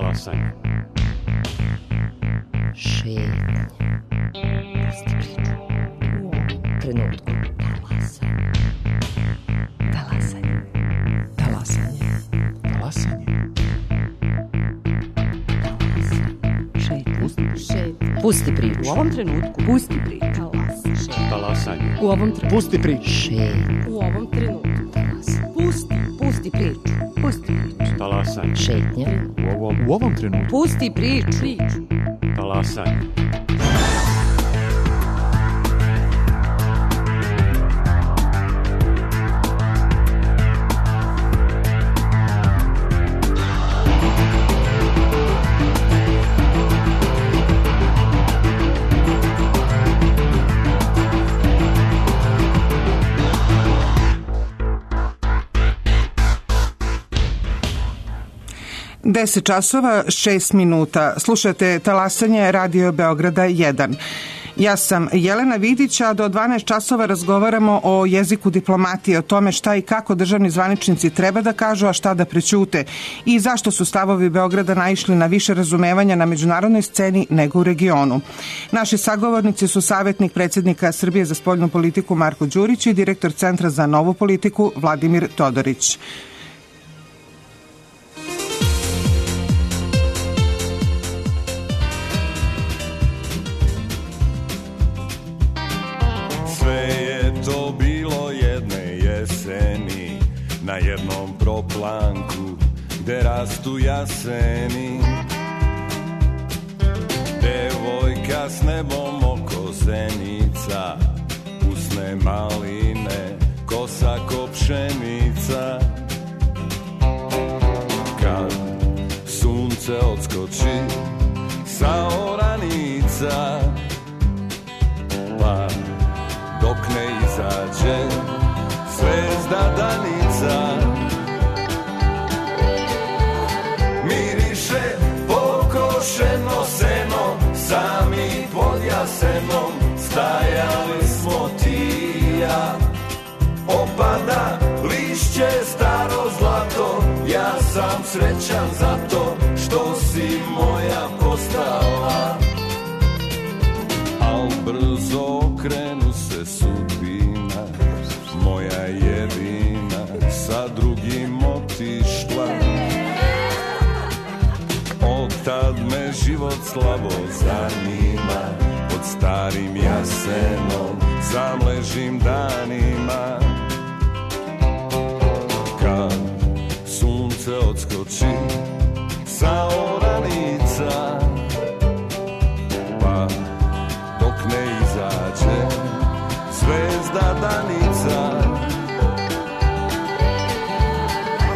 Talasanje. Šetnje. Pusti priču. U ovom trenutku. Talasanje. Talasanje. Talasanje. Šetnje. Pusti priču. U ovom trenutku. Pusti priču. Talasanje. U ovom trenutku. Pusti priču. Šetnje. U ovom trenutku. Pusti priču. Pusti priču. Talasanje. Šetnje. U ovom trenutku. Pusti priču. Talasanje. Deset časova, 6 minuta. Slušate Talasanje Radio Beograda 1. Ja sam Jelena Vidić, a do 12 časova razgovaramo o jeziku diplomatije, o tome šta i kako državni zvaničnici treba da kažu, a šta da prećute i zašto su stavovi Beograda naišli na više razumevanja na međunarodnoj sceni nego u regionu. Naši sagovornici su savjetnik predsjednika Srbije za spoljnu politiku Marko Đurić i direktor Centra za novu politiku Vladimir Todorić. To bilo jedne jeseni na jednom proplanku gde rastu jaseni. Devojka s nebom oko zenica, usne maline, kosa ko pšenica. Kad sunce odskoči sa oranica, pa dok ne izađe zvezda danica, miriše pokošeno seno, sami pod jasenom stajali smo ti i ja. Opada lišće staro zlato, ja sam srećan zato što si moja postala. Al brzo okrenu se sudbina, moja jedina sa drugim otišla. Od tad me život slabo zanima, pod starim jasenom sam ležim danima. Kad sunce odskoči sa oranica, pa dok ne izađe zvezda danica,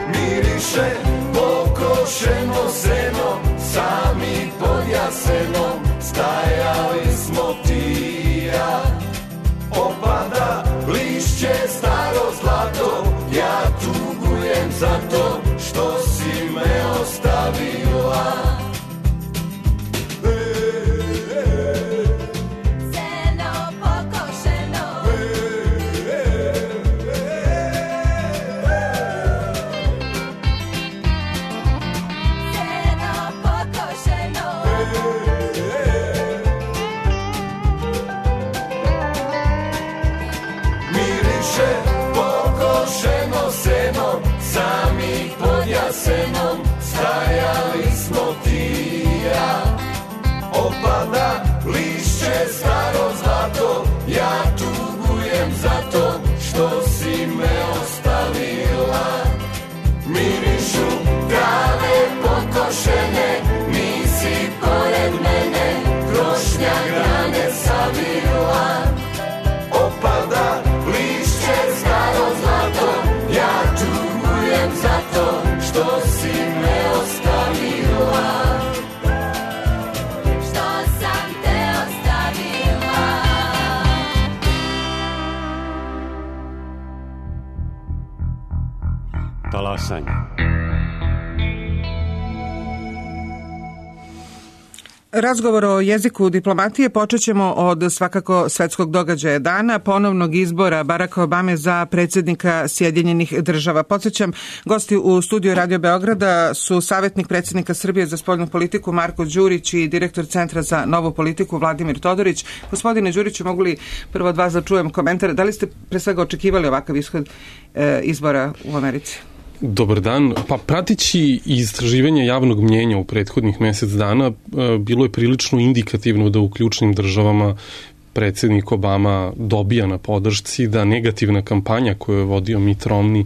miriše pokošeno seno, sami pod jasenom stajali smo ti i ja. Opada lišće staro zlato, ja tugujem za to što si me ostavila. Jasenom stajali smo ti i ja. Opada lišće staro zlato, ja tugujem za to što si me ostavila. Mirišu trave pokošene, nisi pored mene, krošnja grane savila. Opada lišće staro zlato, ja tugujem za to što si me ostavila. Što sam te ostavila. Talasanje. Razgovor o jeziku diplomatije počet ćemo od svakako svetskog događaja dana, ponovnog izbora Baracka Obame za predsjednika Sjedinjenih država. Podsjećam, gosti u studiju Radio Beograda su savjetnik predsjednika Srbije za spoljnu politiku Marko Đurić i direktor Centra za novu politiku Vladimir Todorić. Gospodine Đuriću, mogu li prvo od vas da čujem komentar? Da li ste pre svega očekivali ovakav ishod izbora u Americi? Dobar dan. Pa pratići istraživanje javnog mnjenja u prethodnih mjesec dana bilo je prilično indikativno da u ključnim državama predsjednik Obama dobija na podršci, da negativna kampanja koju je vodio Mitt Romney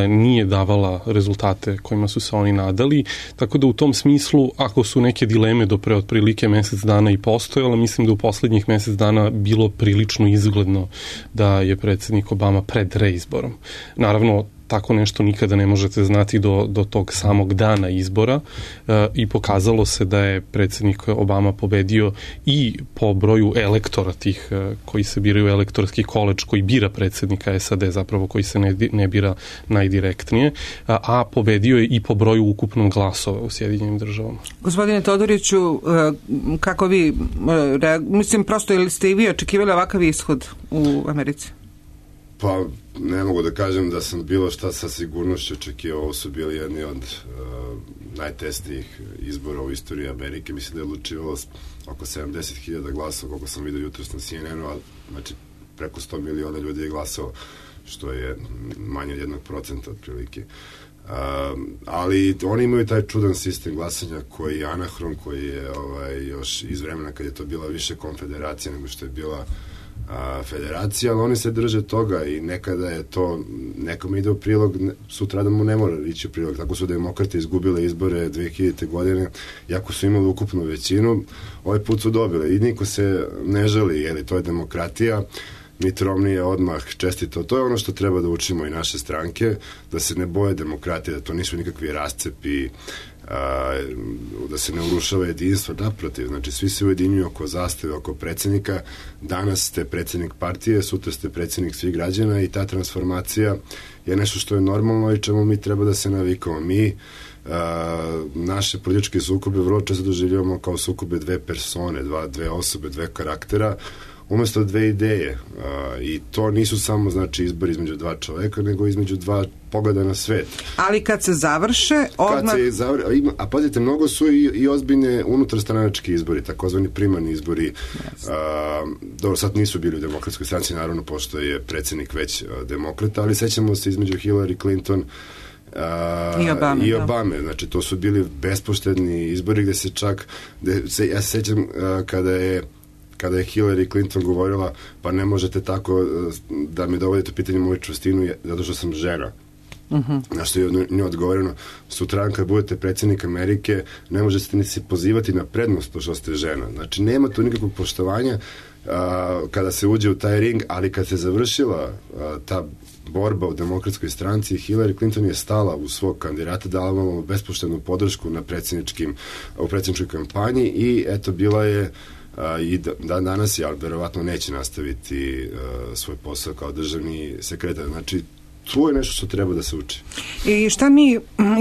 nije davala rezultate kojima su se oni nadali, tako da u tom smislu, ako su neke dileme do pre otprilike mjesec dana i postojala, mislim da u posljednjih mjesec dana bilo prilično izgledno da je predsjednik Obama pred reizborom. Naravno, tako nešto nikada ne možete znati do tog samog dana izbora i pokazalo se da je predsjednik Obama pobedio i po broju elektora tih koji se biraju elektorski koledž koji bira predsjednika SAD, zapravo koji se ne bira najdirektnije, a pobedio je i po broju ukupnog glasova u Sjedinjenim državama. Gospodine Todoriću, kako vi, mislim, prosto ili ste i vi očekivali ovakav ishod u Americi? Pa ne mogu da kažem da sam bilo šta sa sigurnošću očekivao. Ovo su bili jedni od najtesnijih izbora u istoriji Amerike. Mislim da je odlučivalo oko 70.000 glasova, koliko sam vidio jutros na CNN-u, znači preko 100 miliona ljudi je glasao, što je manje od 1% otprilike. Ali oni imaju taj čudan sistem glasanja koji je anahron, koji je još iz vremena kad je to bila više konfederacija nego što je bila federacija, ali oni se drže toga i nekada je to, nekom ide u prilog, sutra da mu ne mora ići u prilog. Tako su demokrate izgubile izbore 2000. godine, iako su imali ukupnu većinu, ovaj put su dobile i niko se ne žali, jer to je demokratija. Mitt Romney je odmah čestito. To je ono što treba da učimo i naše stranke, da se ne boje demokratije, da to nisu nikakvi rascepi, da se ne urušava jedinstvo, naprotiv, znači svi se ujedinjuju oko zastave, oko predsjednika. Danas ste predsjednik partije, sutra ste predsjednik svih građana i ta transformacija je nešto što je normalno i čemu mi treba da se navikamo. Mi naše političke sukobe vrlo često doživljavamo kao sukobe dve persone, dve osobe, dve karaktera, umjesto dve ideje. I to nisu samo, znači, izbor između dva čoveka, nego između dva pogleda na svet. Ali kad se završe, odmah... A pazite, mnogo su i ozbiljne unutarstranački izbori, takozvani primarni izbori. Dobro, sad nisu bili u demokratskoj stranci, naravno, pošto je predsjednik već demokrata, ali sećamo se između Hillary Clinton i Obame. Znači, to su bili bespoštedni izbori gde se čak... Ja se sećam kada je Hillary Clinton govorila, pa ne možete tako da mi dovodite pitanje moju čvrstinu zato što sam žena. Na što je nju odgovoreno, sutradan kad budete predsjednik Amerike ne možete ni se pozivati na prednost to što ste žena. Znači, nema tu nikakvog poštovanja kada se uđe u taj ring, ali kad se završila ta borba u demokratskoj stranci, Hillary Clinton je stala u svog kandidata, dala vam bespoštednu podršku u predsjedničkoj kampanji i eto, bila je i danas je, ali verovatno neće nastaviti svoj posao kao državni sekretar. Znači, tu je nešto što treba da se uči. I šta mi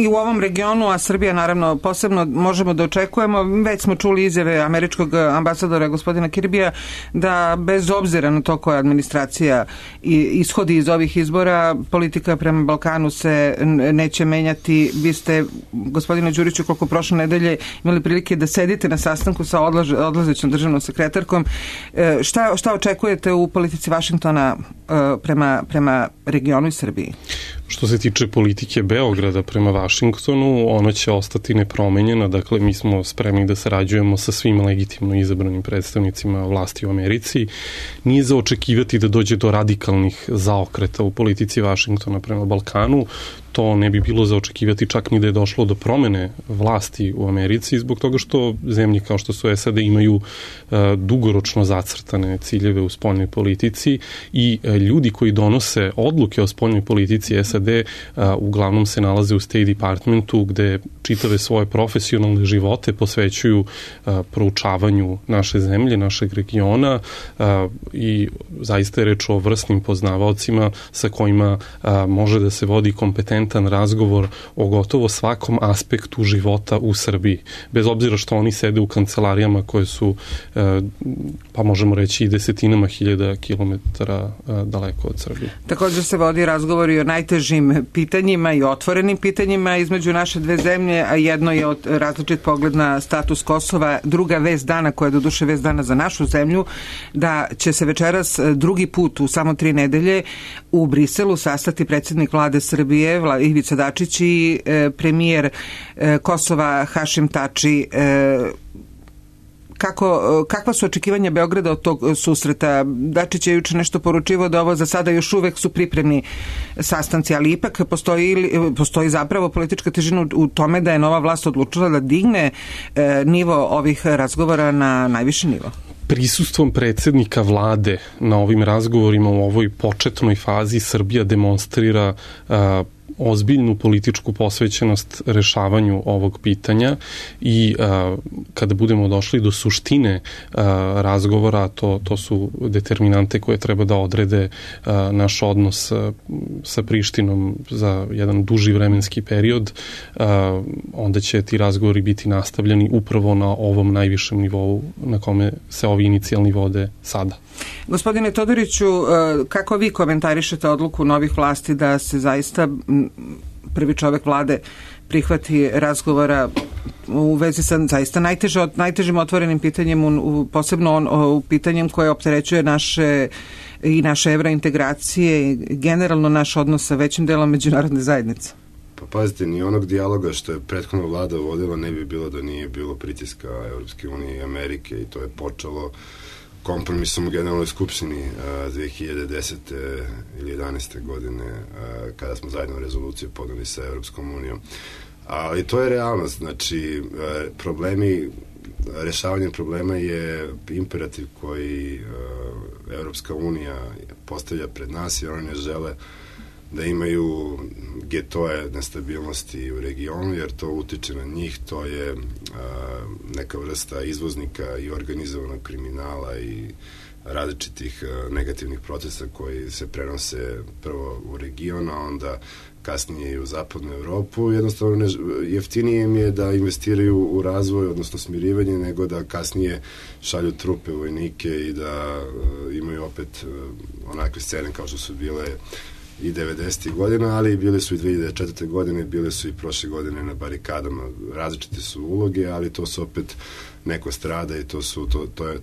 i u ovom regionu, a Srbija naravno posebno, možemo da očekujemo? Već smo čuli izjave američkog ambasadora gospodina Kirbija da bez obzira na to koja administracija ishodi iz ovih izbora, politika prema Balkanu se neće menjati. Vi ste, gospodine Đuriću, koliko prošle nedelje imali prilike da sedite na sastanku sa odlazećom državnom sekretarkom. Šta očekujete u politici Vašingtona prema regionu i Srbiji? Što se tiče politike Beograda prema Vašingtonu, ona će ostati nepromenjena, dakle mi smo spremni da sarađujemo sa svim legitimno izabranim predstavnicima vlasti u Americi. Nije za očekivati da dođe do radikalnih zaokreta u politici Vašingtona prema Balkanu, to ne bi bilo za očekivati čak ni da je došlo do promene vlasti u Americi, zbog toga što zemlje kao što su SAD imaju dugoročno zacrtane ciljeve u spoljnoj politici i ljudi koji donose odluke o spoljnoj politici SAD uglavnom se nalaze u State Departmentu gde čitave svoje profesionalne živote posvećuju proučavanju naše zemlje, našeg regiona i zaista je reč o vrsnim poznavaocima sa kojima može da se vodi kompetentna transparentan razgovor o gotovo svakom aspektu života u Srbiji. Bez obzira što oni sede u kancelarijama koje su, pa možemo reći, i desetinama hiljada kilometara daleko od Srbije. Također se vodi razgovor i o najtežim pitanjima i otvorenim pitanjima između naše dve zemlje, a jedno je od različit pogled na status Kosova. Druga vest dana, koja je doduše vest dana za našu zemlju, da će se večeras drugi put u samo 3 nedelje u Briselu sastati predsjednik vlade Srbije Ivica Dačić i premijer Kosova Hašim Tači. Kakva su očekivanja Beograda od tog susreta? Dačić je juče nešto poručivao da ovo za sada još uvek su pripremni sastanci, ali ipak postoji zapravo politička težina u tome da je nova vlast odlučila da digne nivo ovih razgovora na najviši nivo. Prisustvom predsjednika vlade na ovim razgovorima u ovoj početnoj fazi Srbija demonstrira ozbiljnu političku posvećenost rešavanju ovog pitanja i kada budemo došli do suštine razgovora, to su determinante koje treba da odrede naš odnos sa Prištinom za jedan duži vremenski period, onda će ti razgovori biti nastavljeni upravo na ovom najvišem nivou na kome se ovi inicijalni vode sada. Gospodine Todoriću, kako vi komentarišete odluku novih vlasti da se zaista prvi čovek vlade prihvati razgovora u vezi sa zaista najtežim otvorenim pitanjem, posebno u pitanjem koje opterećuje naše evrointegracije i generalno naš odnos sa većim delom međunarodne zajednice? Pa pazite, ni onog dijaloga što je prethodna vlada vodila ne bi bilo da nije bilo pritiska Evropske unije i Amerike, i to je počelo kompromisom u Generalnoj skupštini 2010. ili 11. godine kada smo zajedno rezoluciju podali sa Evropskom unijom. Ali to je realnost, znači rešavanje problema je imperativ koji Evropska unija postavlja pred nas, jer oni ne žele da imaju getoje nestabilnosti u regionu, jer to utiče na njih, to je neka vrsta izvoznika i organizovanog kriminala i različitih negativnih procesa koji se prenose prvo u region, a onda kasnije i u zapadnu Evropu. Jednostavno jeftinije im je da investiraju u razvoj, odnosno smirivanje, nego da kasnije šalju trupe, vojnike i da imaju opet onakve scene kao što su bile i 90. godina, ali bile su i 2004. godine, bile su i prošle godine na barikadama. Različite su uloge, ali to su opet neko strada i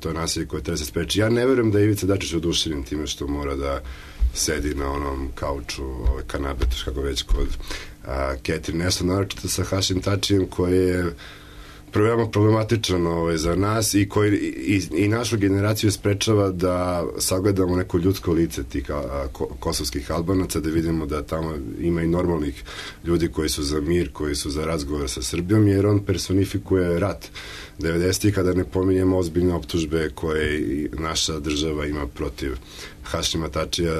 to je nasilje koje treba se spreči. Ja ne verujem da je Ivica Dačić oduševljen time što mora da sedi na onom kauču, kanabetu, kako već kod Catherine Ashton, naročito sa Hašim Tačijem, koji je veoma problematičan za nas i koji i našu generaciju sprečava da sagledamo neko ljudsko lice tih kosovskih Albanaca, da vidimo da tamo ima i normalnih ljudi koji su za mir, koji su za razgovor sa Srbijom, jer on personifikuje rat 90. kada ne pominjemo ozbiljne optužbe koje naša država ima protiv Hašima Tačija,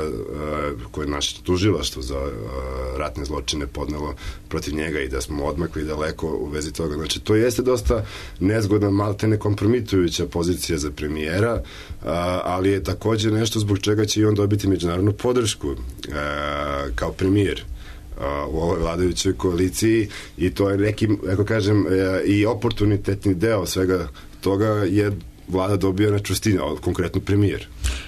koje je naše tužilaštvo za ratne zločine podnelo protiv njega, i da smo odmakli daleko u vezi toga. Znači, to jeste dosta nezgodna, maltene kompromitujuća pozicija za premijera, ali je takođe nešto zbog čega će i on dobiti međunarodnu podršku kao premijer u ovoj vladajućoj koaliciji, i to je neki, ako kažem, i oportunitetni deo svega toga je vlada dobija na čvrstini, konkretno premijer.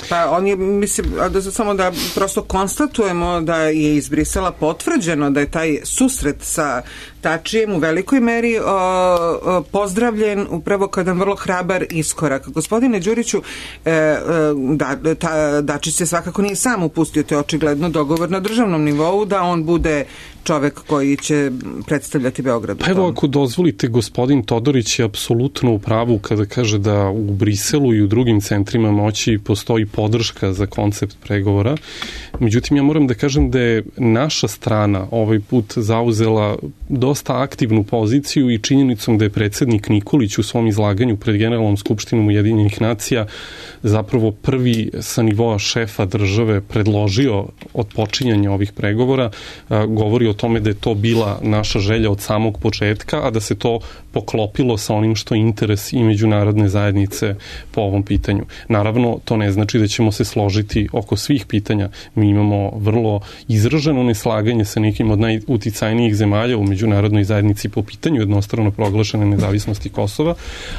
Pa on je, mislim, samo da prosto konstatujemo da je iz Brisela potvrđeno da je taj susret sa Tačijem u velikoj meri pozdravljen upravo kao jedan vrlo hrabar iskorak. Gospodine Đuriću, Dačić se svakako nije sam upustio, to je očigledno dogovor na državnom nivou da on bude čovek koji će predstavljati Beograd. Pa evo, ako dozvolite, gospodin Todorić je apsolutno u pravu kada kaže da u Briselu i u drugim centrima moći postoji podrška za koncept pregovora. Međutim, ja moram da kažem da je naša strana ovaj put zauzela dosta aktivnu poziciju i činjenicom da je predsjednik Nikolić u svom izlaganju pred Generalnom skupštinom Ujedinjenih nacija zapravo prvi sa nivoa šefa države predložio odpočinjanje ovih pregovora, govori o tome da je to bila naša želja od samog početka, a da se to poklopilo sa onim što je interes i međunarodne zajednice srce po ovom pitanju. Naravno, to ne znači da ćemo se složiti oko svih pitanja. Mi imamo vrlo izraženo neslaganje sa nekim od najuticajnijih zemalja u međunarodnoj zajednici po pitanju jednostrano proglašene nezavisnosti Kosova,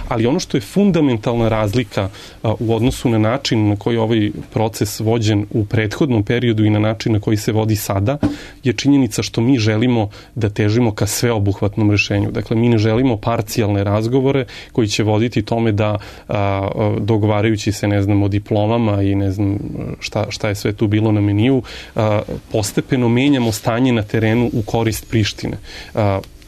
ali ono što je fundamentalna razlika u odnosu na način na koji ovaj proces vođen u prethodnom periodu i na način na koji se vodi sada, je činjenica što mi želimo da težimo ka sveobuhvatnom rešenju. Dakle, mi ne želimo parcijalne razgovore koji će voditi tome da dogovarajući se, ne znam, o diplomama i ne znam šta je sve tu bilo na meniju, postepeno menjamo stanje na terenu u korist Prištine.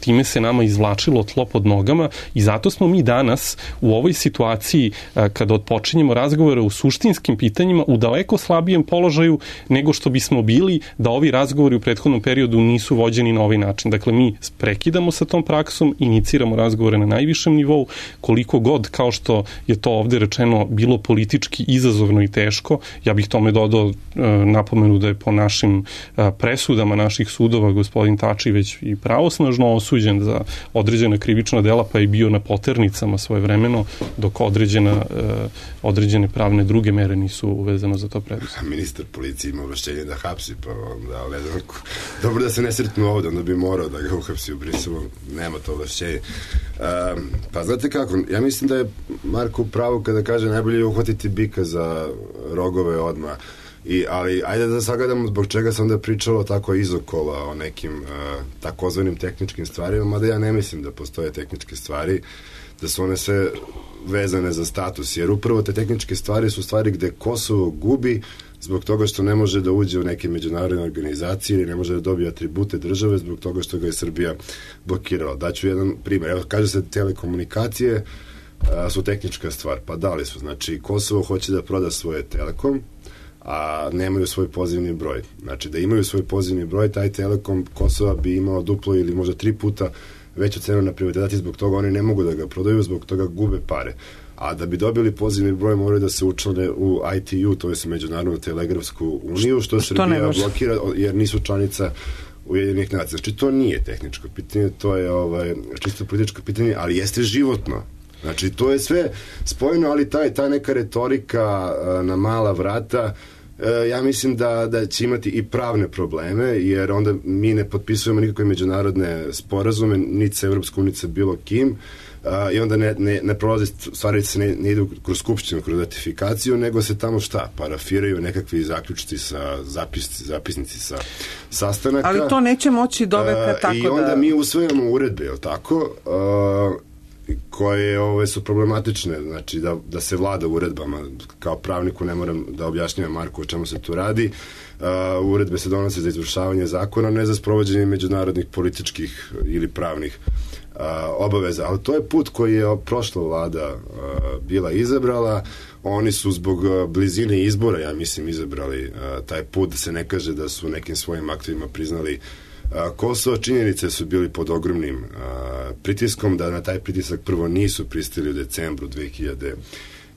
Time se nama izvlačilo tlo pod nogama i zato smo mi danas u ovoj situaciji kada odpočinjemo razgovore u suštinskim pitanjima u daleko slabijem položaju nego što bismo bili da ovi razgovori u prethodnom periodu nisu vođeni na ovaj način. Dakle, mi prekidamo sa tom praksom, iniciramo razgovore na najvišem nivou, koliko god, kao što je to ovde rečeno, bilo politički izazovno i teško. Ja bih tome dodao napomenu da je po našim presudama naših sudova gospodin Tači već i pravosnažno osuđen za određena krivična dela, pa je bio na poternicama svojevremeno, dok određene pravne druge mere nisu uvezano za to preduzeti. Ministar policije ima ovlašćenje da hapsi, pa onda, ali ne znam, dobro da se ne sretnu ovde, onda bi morao da ga uhapsi u Briselu, nema to ovlašćenje. Pa znate kako, ja mislim da je Marko pravo kada kaže najbolje je uhvatiti bika za rogove odmah. Ali ajde da sagledamo zbog čega sam onda pričalo tako izokola o nekim takozvanim tehničkim stvarima, mada ja ne mislim da postoje tehničke stvari, da su one sve vezane za status, jer upravo te tehničke stvari su stvari gde Kosovo gubi zbog toga što ne može da uđe u neke međunarodne organizacije ili ne može da dobije atribute države zbog toga što ga je Srbija blokirala. Daću jedan primjer. Evo, kaže se telekomunikacije su tehnička stvar. Pa da li su? Znači, Kosovo hoće da proda svoje Telekom, a nemaju svoj pozivni broj. Znači, da imaju svoj pozivni broj, taj Telekom Kosova bi imao duplo ili možda 3 puta veću cenu na privatizaciji, zbog toga oni ne mogu da ga prodaju, zbog toga gube pare. A da bi dobili pozivni broj moraju da se učlane u ITU, to je Međunarodnu telegrafsku uniju, što Srbija blokira jer nisu članica Ujedinjenih nacija. Znači, to nije tehničko pitanje, to je čisto političko pitanje, ali jeste životno. Znači, to je sve spojeno, ali ta neka retorika na mala vrata, ja mislim da će imati i pravne probleme, jer onda mi ne potpisujemo nikakve međunarodne sporazume, niti sa Evropskom, niti sa bilo kim, i onda ne prolazi, stvari se ne idu kroz skupštinu, kroz ratifikaciju, nego se tamo parafiraju nekakvi zaključci zapisnici sa sastanaka. Ali to neće moći doveka tako da... I onda mi usvojamo uredbe, je li tako? Koje su problematične, znači da se vlada uredbama. Kao pravniku ne moram da objašnjavam Marku o čemu se tu radi. Uredbe se donose za izvršavanje zakona, ne za sprovođenje međunarodnih političkih ili pravnih obaveza, ali to je put koji je prošla vlada bila izabrala. Oni su zbog blizine izbora, ja mislim, izabrali taj put, da se ne kaže da su nekim svojim aktivima priznali Kosovo. Činjenice su bili pod ogromnim pritiskom, da na taj pritisak prvo nisu pristali u decembru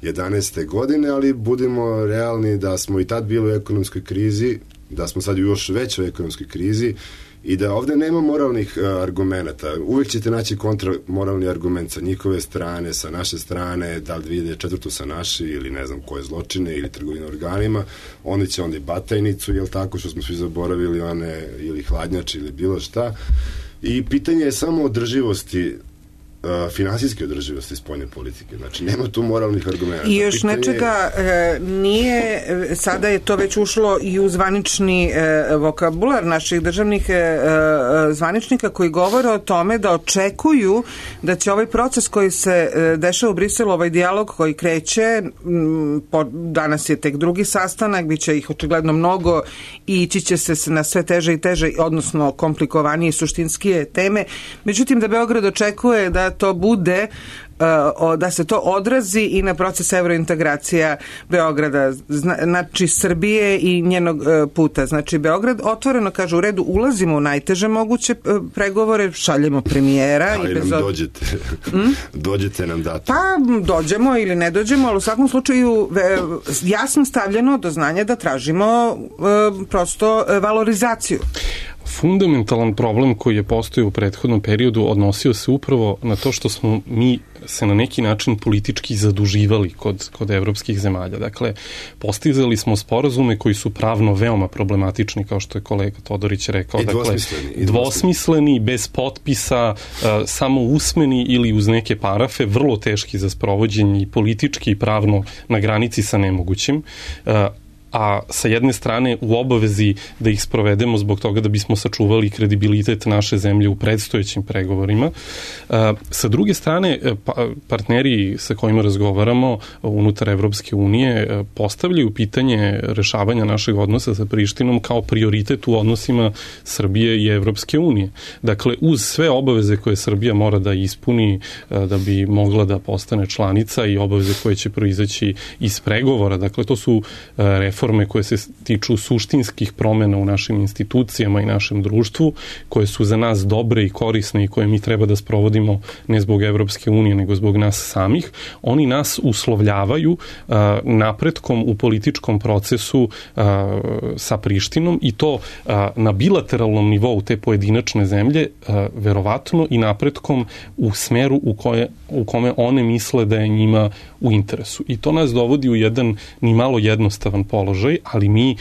2011. godine, ali budimo realni da smo i tad bili u ekonomskoj krizi, da smo sad u još većoj ekonomskoj krizi i da ovde nema moralnih argumenta. Uvijek ćete naći kontramoralni argument sa njihove strane, sa naše strane, da li 2004. sa naše ili ne znam koje zločine ili trgovine organima. Oni će onda i Batajnicu, jel tako, što smo svi zaboravili, one ili hladnjače ili bilo šta. I pitanje je samo održivosti, finansijske održivosti spoljne politike. Znači, nema tu moralnih argumenta. I još nečega nije, sada je to već ušlo i u zvanični vokabular naših državnih zvaničnika koji govore o tome da očekuju da će ovaj proces koji se dešava u Briselu, ovaj dijalog koji kreće, danas je tek drugi sastanak, bit će ih očigledno mnogo i ići će se na sve teže i teže, odnosno komplikovanije i suštinskije teme. Međutim, da Beograd očekuje da to bude, da se to odrazi i na proces evrointegracija Beograda, znači Srbije i njenog puta. Znači Beograd otvoreno kaže u redu, ulazimo u najteže moguće pregovore, šaljemo premijera. Ali nam dođete. Dođete nam dati. Pa dođemo ili ne dođemo, ali u svakom slučaju jasno stavljeno do znanja da tražimo prosto valorizaciju. Fundamentalan problem koji je postojao u prethodnom periodu odnosio se upravo na to što smo mi se na neki način politički zaduživali kod evropskih zemalja. Dakle, postizali smo sporazume koji su pravno veoma problematični, kao što je kolega Todorić rekao. Dvosmisleni, bez potpisa, samo usmeni ili uz neke parafe, vrlo teški za sprovođenje i politički i pravno na granici sa nemogućim. A sa jedne strane u obavezi da ih sprovedemo zbog toga da bismo sačuvali kredibilitet naše zemlje u predstojećim pregovorima. Sa druge strane, partneri sa kojima razgovaramo unutar Evropske unije postavljaju pitanje rešavanja našeg odnosa sa Prištinom kao prioritet u odnosima Srbije i Evropske unije. Dakle, uz sve obaveze koje Srbija mora da ispuni da bi mogla da postane članica i obaveze koje će proizaći iz pregovora, dakle, to su reforme koje se tiču suštinskih promena u našim institucijama i našem društvu, koje su za nas dobre i korisne i koje mi treba da sprovodimo ne zbog Evropske unije, nego zbog nas samih. Oni nas uslovljavaju napretkom u političkom procesu sa Prištinom i to na bilateralnom nivou te pojedinačne zemlje, verovatno i napretkom u smeru u kome one misle da je njima u interesu. I to nas dovodi u jedan ni malo jednostavan položaj, ali mi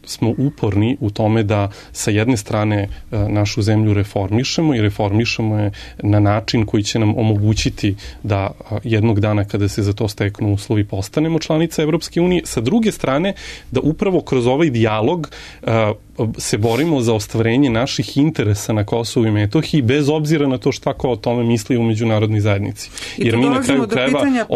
smo uporni u tome da sa jedne strane našu zemlju reformišemo i reformišemo je na način koji će nam omogućiti da jednog dana kada se za to steknu uslovi postanemo članica Evropske unije. Sa druge strane, da upravo kroz ovaj dijalog se borimo za ostvarenje naših interesa na Kosovu i Metohiji, bez obzira na to šta ko o tome misli u međunarodnoj zajednici. Jer mi na kraju krajeva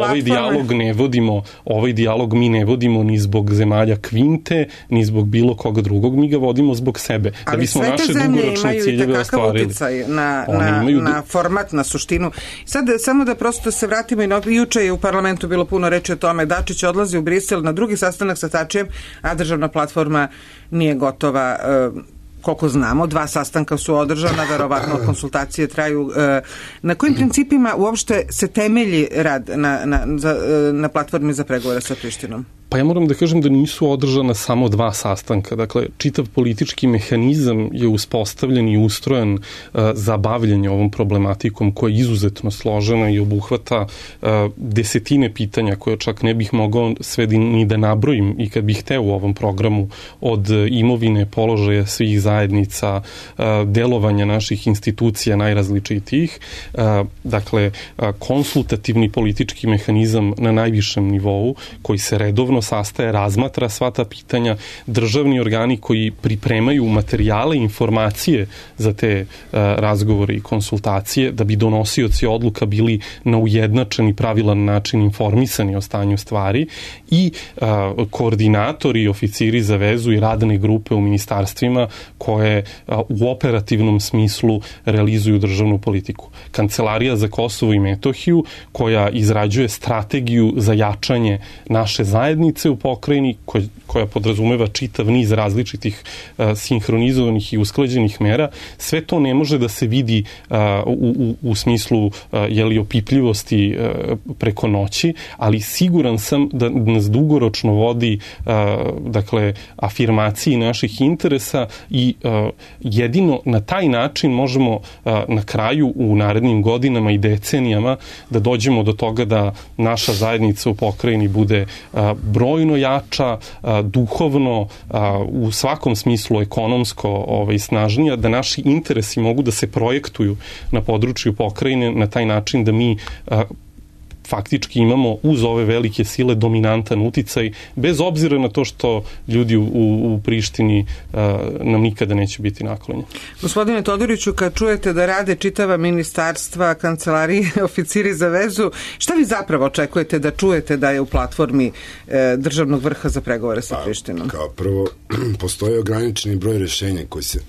ovaj dijalog mi ne vodimo ni zbog zemalja Kvinte, ni zbog bilo koga drugog, mi ga vodimo zbog sebe. Ali da bismo naše dugoročne ciljeve ostvarili. Ali sve te zemlje imaju na format, na suštinu. Sad samo da prosto se vratimo i juče je u parlamentu bilo puno reči o tome. Dačić odlazi u Brisel na drugi sastanak sa Tačijem, a državna platforma nije gotova. Koliko znamo, 2 sastanka su održana, verovatno konsultacije traju. Na kojim principima uopšte se temelji rad na platformi za pregovore sa Prištinom? Pa ja moram da kažem da nisu održana samo 2 sastanka. Dakle, čitav politički mehanizam je uspostavljen i ustrojen za bavljanje ovom problematikom koja je izuzetno složena i obuhvata desetine pitanja koje čak ne bih mogao sve ni da nabrojim i kad bih hteo u ovom programu, od imovine, položaja svih zajednica, delovanja naših institucija najrazličitijih. Dakle, konsultativni politički mehanizam na najvišem nivou koji se redovno sastaje, razmatra sva ta pitanja, državni organi koji pripremaju materijale i informacije za te razgovore i konsultacije, da bi donosioci odluka bili na ujednačen i pravilan način informisani o stanju stvari, i koordinatori i oficiri za vezu i radne grupe u ministarstvima koje u operativnom smislu realizuju državnu politiku. Kancelarija za Kosovo i Metohiju koja izrađuje strategiju za jačanje naše zajednice u pokrajini, koja podrazumeva čitav niz različitih sinhronizovanih i usklađenih mera. Sve to ne može da se vidi u smislu opipljivosti preko noći, ali siguran sam da nas dugoročno vodi afirmaciji naših interesa i jedino na taj način možemo na kraju u narednim godinama i decenijama da dođemo do toga da naša zajednica u pokrajini bude brojno jača, duhovno, u svakom smislu ekonomsko snažnija, da naši interesi mogu da se projektuju na području pokrajine na taj način da mi faktički imamo uz ove velike sile dominantan uticaj, bez obzira na to što ljudi u Prištini nam nikada neće biti naklonjeni. Gospodine Todoriću, kad čujete da rade čitava ministarstva, kancelarije, oficiri za vezu, šta vi zapravo očekujete da čujete da je u platformi državnog vrha za pregovore sa Prištinom? Kao prvo, postoji ograničeni broj rešenja koji se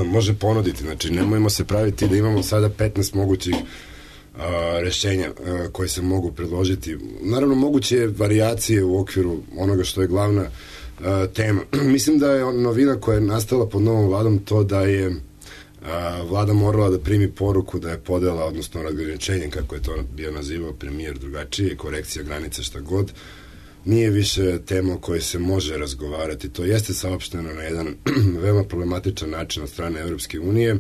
može ponuditi. Znači, nemojmo se praviti da imamo sada 15 mogućih rešenja koje se mogu predložiti. Naravno, moguće je varijacije u okviru onoga što je glavna tema. Mislim da je novina koja je nastala pod novom vladom to da je vlada morala da primi poruku da je podela, odnosno razgraničenje, kako je to bio nazivao premijer drugačije, korekcija granica, šta god, nije više tema o kojoj se može razgovarati. To jeste saopšteno na jedan veoma problematičan način od strane Evropske unije.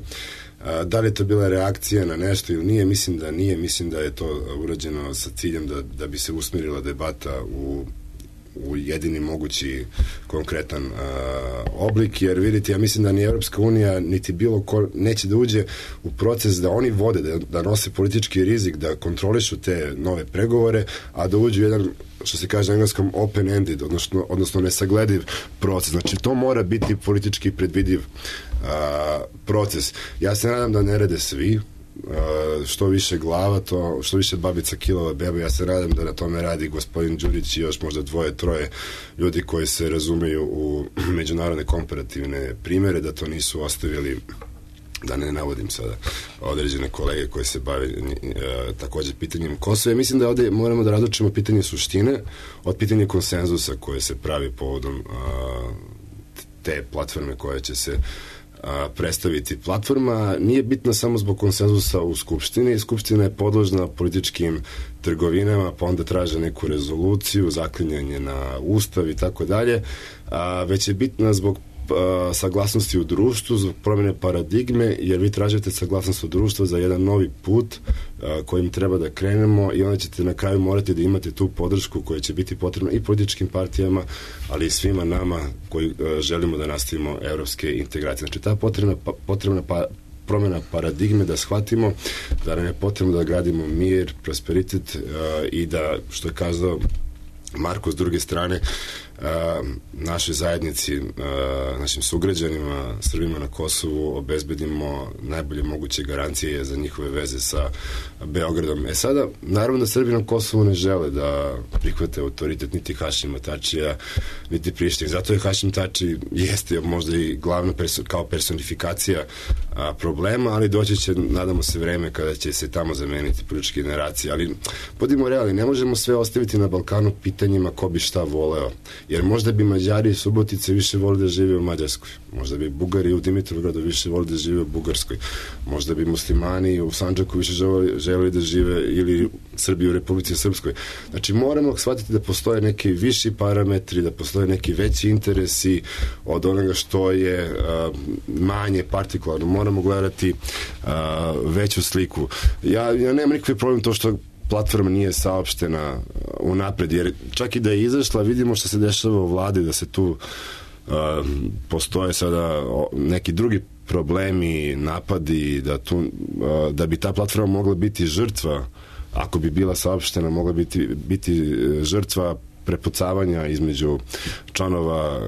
Da li je to bila reakcija na nešto ili nije, mislim da nije, mislim da je to urađeno sa ciljem da bi se usmerila debata u jedini mogući konkretan oblik, jer vidite, ja mislim da ni Evropska unija niti bilo ko neće da uđe u proces da oni vode, da nose politički rizik, da kontrolišu te nove pregovore, a da uđu jedan, što se kaže na engleskom, open-ended, odnosno nesaglediv proces. Znači, to mora biti politički predvidiv proces. Ja se nadam da ne rade svi, što više glava, što više babica kilova beba. Ja se nadam da na tome radi gospodin Đurić i još možda 2-3 ljudi koji se razumeju u međunarodne komparativne primere, da to nisu ostavili, da ne navodim sada određene kolege koji se bave takođe pitanjem Kosova. Mislim da ovde moramo da razlučimo pitanje suštine od pitanja konsenzusa koje se pravi povodom te platforme koja će se predstaviti. Platforma nije bitna samo zbog konsenzusa u Skupštini. Skupština je podložna političkim trgovinama, pa onda traže neku rezoluciju, zaklinjanje na Ustav i tako dalje, već je bitna zbog saglasnosti u društvu, zbog promjene paradigme, jer vi tražite saglasnost u društvu za jedan novi put kojim treba da krenemo i onda ćete na kraju morati da imate tu podršku koja će biti potrebna i političkim partijama, ali i svima nama koji želimo da nastavimo evropske integracije. Znači, ta potrebna promjena paradigme, da shvatimo da nam je potrebno da gradimo mir, prosperitet i da, što je kazao Marko, s druge strane, našoj zajednici, našim sugrađanima, Srbima na Kosovu obezbedimo najbolje moguće garancije za njihove veze sa Beogradom. Sada, naravno da Srbi na Kosovu ne žele da prihvate autoritet niti Hašima Tačija, niti Prištine. Zato je Hašim Tači jeste možda i glavna kao personifikacija problema, ali doći će, nadamo se, vreme kada će se tamo zameniti političke generacije. Ali, budimo realni, ne možemo sve ostaviti na Balkanu pitanjima ko bi šta voleo. Jer možda bi Mađari i Subotice više volili da žive u Mađarskoj. Možda bi Bugari u Dimitrovgradu više volili da žive u Bugarskoj. Možda bi muslimani u Sandžaku više želeli da žive, ili Srbi u Republici Srpskoj. Znači, moramo shvatiti da postoje neki viši parametri, da postoje neki veći interesi od onoga što je manje partikularno. Moramo gledati veću sliku. Ja nemam nikakvi problem to što platforma nije saopštena unapred, jer čak i da je izašla, vidimo što se dešava u vladi, da se tu postoje sada neki drugi problemi, napadi, da bi ta platforma mogla biti žrtva, ako bi bila saopštena, mogla biti žrtva prepucavanja između članova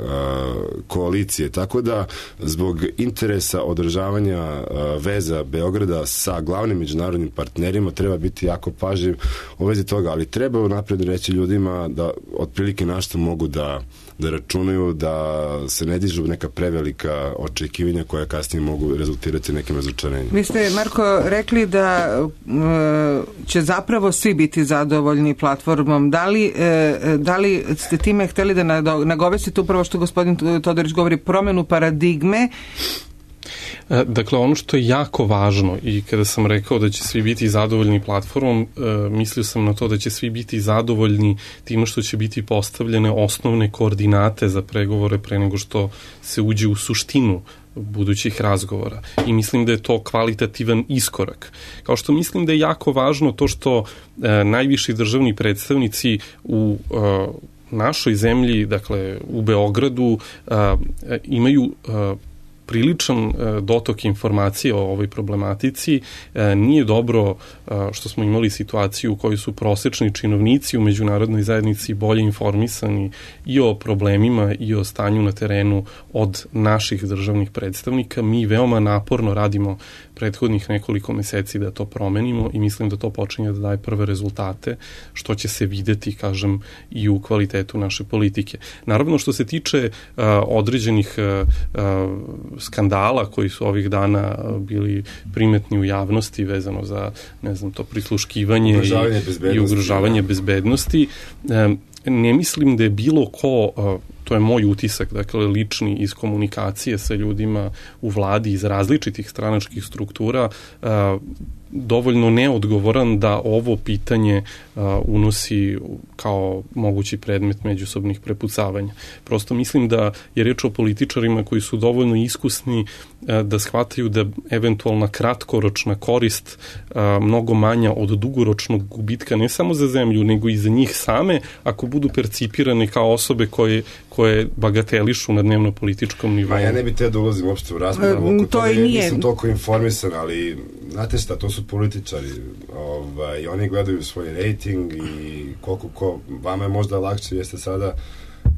koalicije. Tako da, zbog interesa održavanja veza Beograda sa glavnim međunarodnim partnerima treba biti jako pažljiv u vezi toga, ali treba napred reći ljudima da otprilike na što mogu da računaju, da se ne dižu neka prevelika očekivanja koja kasnije mogu rezultirati nekim razočarenjem. Vi ste, Marko, rekli da će zapravo svi biti zadovoljni platformom. Da li ste time hteli da nagovestite upravo što gospodin Todorić govori, promenu paradigme? Dakle, ono što je jako važno, i kada sam rekao da će svi biti zadovoljni platformom, mislio sam na to da će svi biti zadovoljni time što će biti postavljene osnovne koordinate za pregovore pre nego što se uđe u suštinu budućih razgovora. I mislim da je to kvalitativan iskorak. Kao što mislim da je jako važno to što najviši državni predstavnici u našoj zemlji, dakle u Beogradu, imaju priličan dotok informacije o ovoj problematici. Nije dobro što smo imali situaciju u kojoj su prosečni činovnici u međunarodnoj zajednici bolje informisani i o problemima i o stanju na terenu od naših državnih predstavnika. Mi veoma naporno radimo prethodnih nekoliko meseci da to promenimo i mislim da to počinje da daje prve rezultate, što će se videti, kažem, i u kvalitetu naše politike. Naravno, što se tiče određenih skandala koji su ovih dana bili primetni u javnosti vezano za, ne znam, to prisluškivanje i ugrožavanje bezbednosti, ne mislim da je bilo ko, to je moj utisak, dakle lični iz komunikacije sa ljudima u vladi iz različitih stranačkih struktura, dovoljno neodgovoran da ovo pitanje unosi kao mogući predmet međusobnih prepucavanja. Prosto mislim da je reč o političarima koji su dovoljno iskusni da shvataju da eventualna kratkoročna korist mnogo manja od dugoročnog gubitka ne samo za zemlju, nego i za njih same, ako budu percipirane kao osobe koje bagatelišu na dnevno-političkom nivou. Ja ne bih te da ulazim uopšte u raspravu oko toga, jer nisam toliko informisan, ali znate šta, to su političari. I oni gledaju svoj rejting i koliko vama je možda lakše, jeste sada,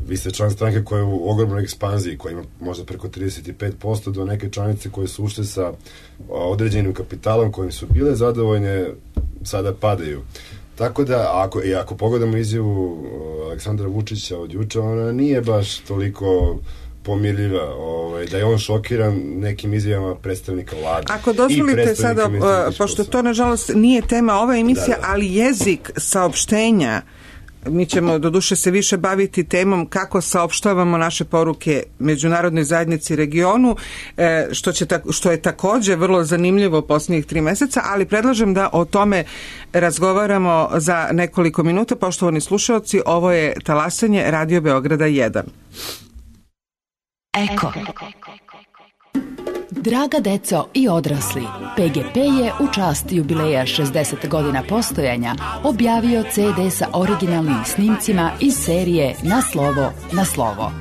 vi ste član stranke koja je u ogromnoj ekspanziji, koja ima možda preko 35%, do neke članice koje su ušle sa određenim kapitalom kojim su bile zadovoljne, sada padaju. Tako da, ako pogledamo izjavu Aleksandra Vučića od juče, ona nije baš toliko pomirljiva, da je on šokiran nekim izjavama predstavnika vlade. Ako dozvolite sada, pošto to nažalost nije tema ove emisije, ali jezik saopštenja, mi ćemo doduše se više baviti temom kako saopštavamo naše poruke međunarodnoj zajednici i regionu, što je takođe vrlo zanimljivo posljednjih 3 meseca, ali predlažem da o tome razgovaramo za nekoliko minuta. Poštovani slušalci, ovo je Talasanje Radio Beograda 1. Eko. Draga deco i odrasli, PGP je u čast jubileja 60 godina postojanja objavio CD sa originalnim snimcima iz serije Na slovo, na slovo.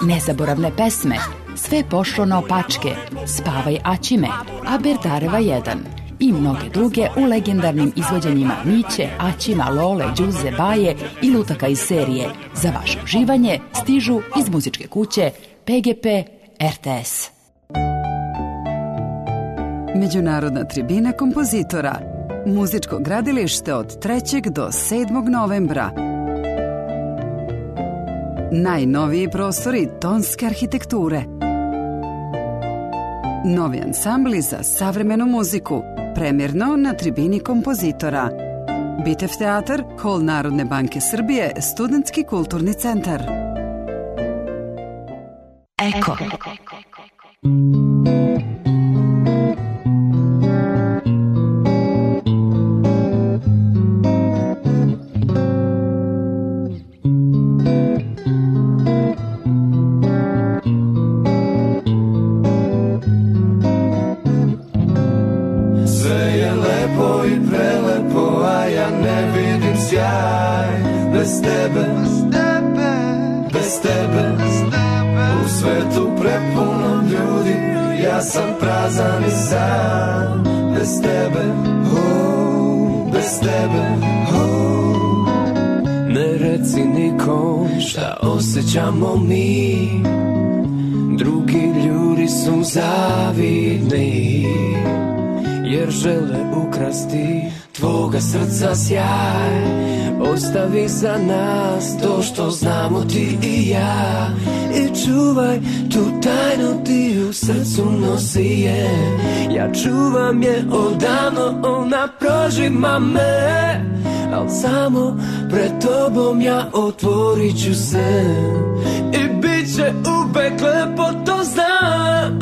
Nezaboravne pesme, Sve pošlo naopačke, Spavaj Aćime, Aberdareva 1 i mnoge druge u legendarnim izvođenjima Miće, Aćima, Lole, Đuze, Baje i lutaka iz serije za vaše uživanje stižu iz muzičke kuće PGP RTS. Međunarodna tribina kompozitora. Muzičko gradilište od 3. do 7. novembra. Najnoviji prostori tonske arhitekture. Novi ansambli za savremenu muziku. Premjerno na tribini kompozitora. Bitev teatar, Hol Narodne banke Srbije, Studentski kulturni centar. Eko. Bez tebe, bez tebe, u svetu prepunom ljudi, ja sam prazan i sam. Bez tebe, bez tebe, ne reci nikom šta osjećamo mi. Drugi ljudi su zavidni, jer žele ukrasti tvoga srca sjaj. Ostavi za nas to što znamo ti i ja, i čuvaj tu tajnu ti u srcu nosi je. Ja čuvam je odavno, ona prožima me, al samo pred tobom ja otvorit ću se i bit će uvek lepo, to znam.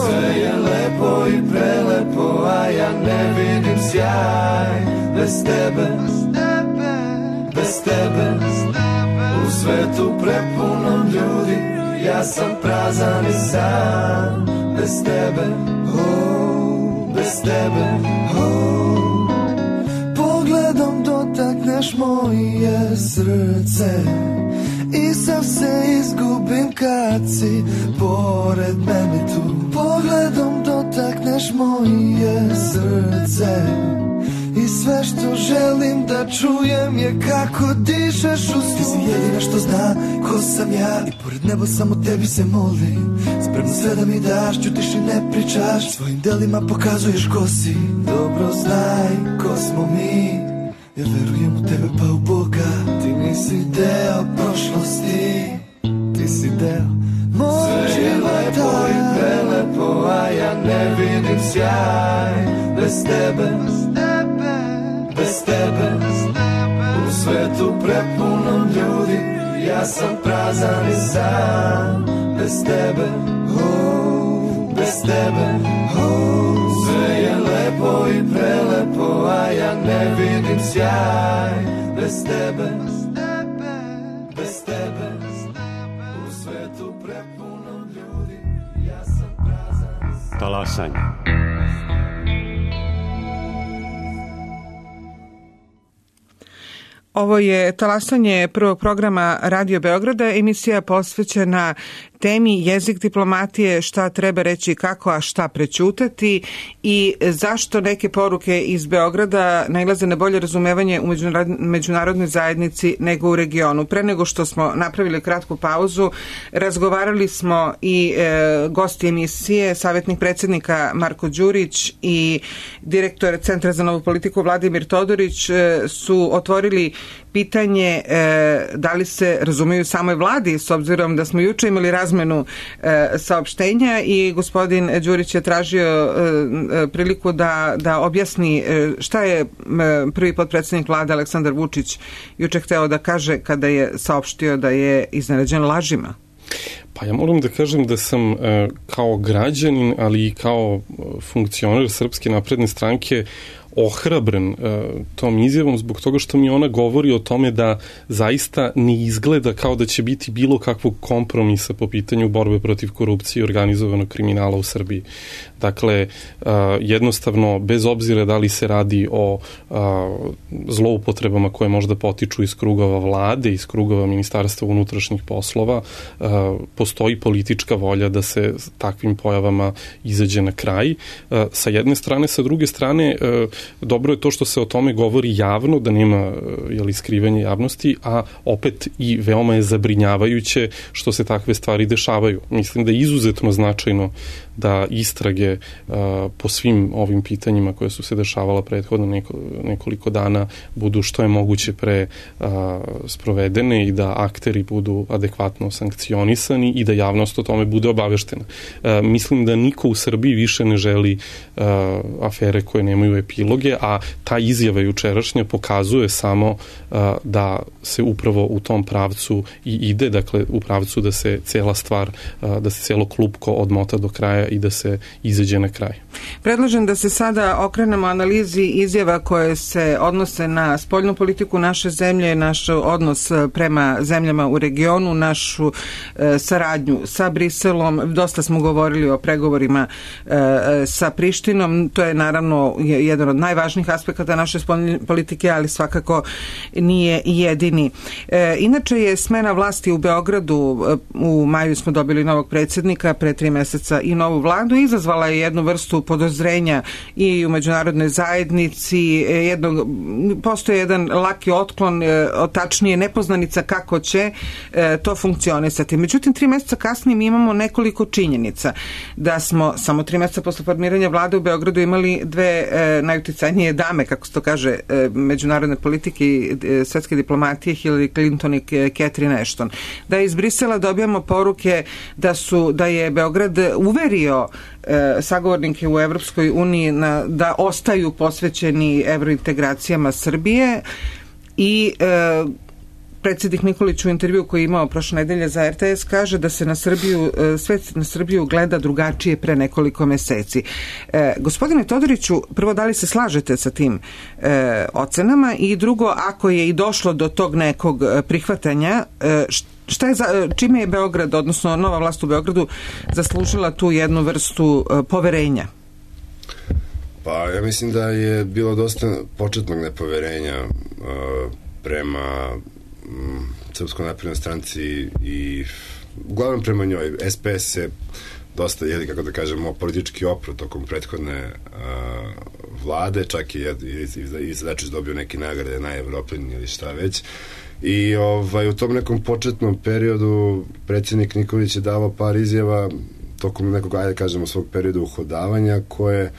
Sve je lepo i prelepo, a ja ne vidim sjaj. Bez tebe, bez tebe, u svetu prepunom ljudi, ja sam prazan i sam. Bez tebe, bez tebe, pogledom dotakneš moje srce i sav se izgubim kad si pored mene tu. Pogledom dotakneš moje srce i sve što želim da čujem je kako dišeš u snu. Ti si jedina što zna ko sam ja i pored nebo samo tebi se molim. Spremno sve da mi daš, ćutiš i ne pričaš, svojim delima pokazuješ ko si. Dobro znaj ko smo mi, ja verujem u tebe pa u Boga. Ti nisi deo prošlosti, ti si deo moj života. Sve je lepo i prelepo, a ja ne vidim sjaj. Bez tebe, bez tebe, u svetu prepunom ljudi, ja sam prazan i sam. Bez tebe, bez tebe. Sve je lepo i prelepo, a ja ne vidim sjaj bez tebe. Bez tebe u svetu prepunom ljudi, ja sam prazan. Talasanje. Ovo je talasanje prvog programa Radio Beograda, emisija posvećena temi jezik diplomatije, šta treba reći kako, a šta prećutati i zašto neke poruke iz Beograda nailaze na bolje razumevanje u međunarodnoj zajednici nego u regionu. Pre nego što smo napravili kratku pauzu, razgovarali smo i gosti emisije, savjetnik predsjednika Marko Đurić i direktor Centra za novu politiku Vladimir Todorić su otvorili pitanje da li se razumiju samoj vladi, s obzirom da smo juče imali razmenu saopštenja i gospodin Đurić je tražio priliku da objasni šta je prvi potpredsjednik vlade Aleksandar Vučić juče hteo da kaže kada je saopštio da je iznenađen lažima. Pa ja moram da kažem da sam kao građanin, ali i kao funkcioner Srpske napredne stranke ohrabren tom izjavom zbog toga što mi ona govori o tome da zaista ne izgleda kao da će biti bilo kakvog kompromisa po pitanju borbe protiv korupcije i organizovanog kriminala u Srbiji. Dakle, jednostavno, bez obzira da li se radi o zloupotrebama koje možda potiču iz krugova vlade, iz krugova Ministarstva unutrašnjih poslova, postoji politička volja da se takvim pojavama izađe na kraj. Sa jedne strane, sa druge strane, dobro je to što se o tome govori javno, da nema skrivanja javnosti, a opet i veoma je zabrinjavajuće što se takve stvari dešavaju. Mislim da je izuzetno značajno da istrage po svim ovim pitanjima koje su se dešavala prethodno nekoliko dana budu što je moguće pre sprovedene i da akteri budu adekvatno sankcionisani i da javnost o tome bude obaveštena. Mislim da niko u Srbiji više ne želi afere koje nemaju epiloge, a ta izjava jučerašnja pokazuje samo da se upravo u tom pravcu i ide, dakle u pravcu da se cela stvar, da se celo klupko odmota do kraja i da se izađe na kraj. Predlažem da se sada okrenemo analizi izjava koje se odnose na spoljnu politiku naše zemlje, naš odnos prema zemljama u regionu, našu saradnju sa Briselom. Dosta smo govorili o pregovorima sa Prištinom. To je naravno jedan od najvažnijih aspekata naše spoljne politike, ali svakako nije jedini. Inače je smena vlasti u Beogradu, u maju smo dobili novog predsjednika, pre 3 meseca i novu vladu, izazvala je jednu vrstu podozrenja i u međunarodnoj zajednici. Postoje jedan laki otklon, tačnije nepoznanica kako će to funkcionisati. Međutim, 3 meseca kasnije mi imamo nekoliko činjenica da smo samo 3 meseca posle formiranja vlade u Beogradu imali 2 najuticajnije dame, kako se to kaže, međunarodne politike i svetske diplomatije, Hillary Clinton i Catherine Ashton. Da iz Brisela dobijamo poruke da je Beograd uverio sagovornike u Evropskoj uniji da ostaju posvećeni evrointegracijama Srbije i predsjednik Nikolić u intervju koji je imao prošle nedelje za RTS kaže da se svet na Srbiju gleda drugačije pre nekoliko meseci. Gospodine Todoriću, prvo, da li se slažete sa tim ocenama i drugo, ako je i došlo do tog nekog prihvatanja, čime je Beograd, odnosno nova vlast u Beogradu, zaslužila tu jednu vrstu poverenja? Pa ja mislim da je bilo dosta početnog nepoverenja prema Srpskoj naprednoj stranci i uglavnom prema njoj. SPS se dosta, kako da kažemo, politički opro tokom prethodne vlade, čak i Dačić dobio neke nagrade na Evroplin ili šta već. I u tom nekom početnom periodu predsjednik Nikolić je davao par izjava tokom nekog, svog perioda uhodavanja koje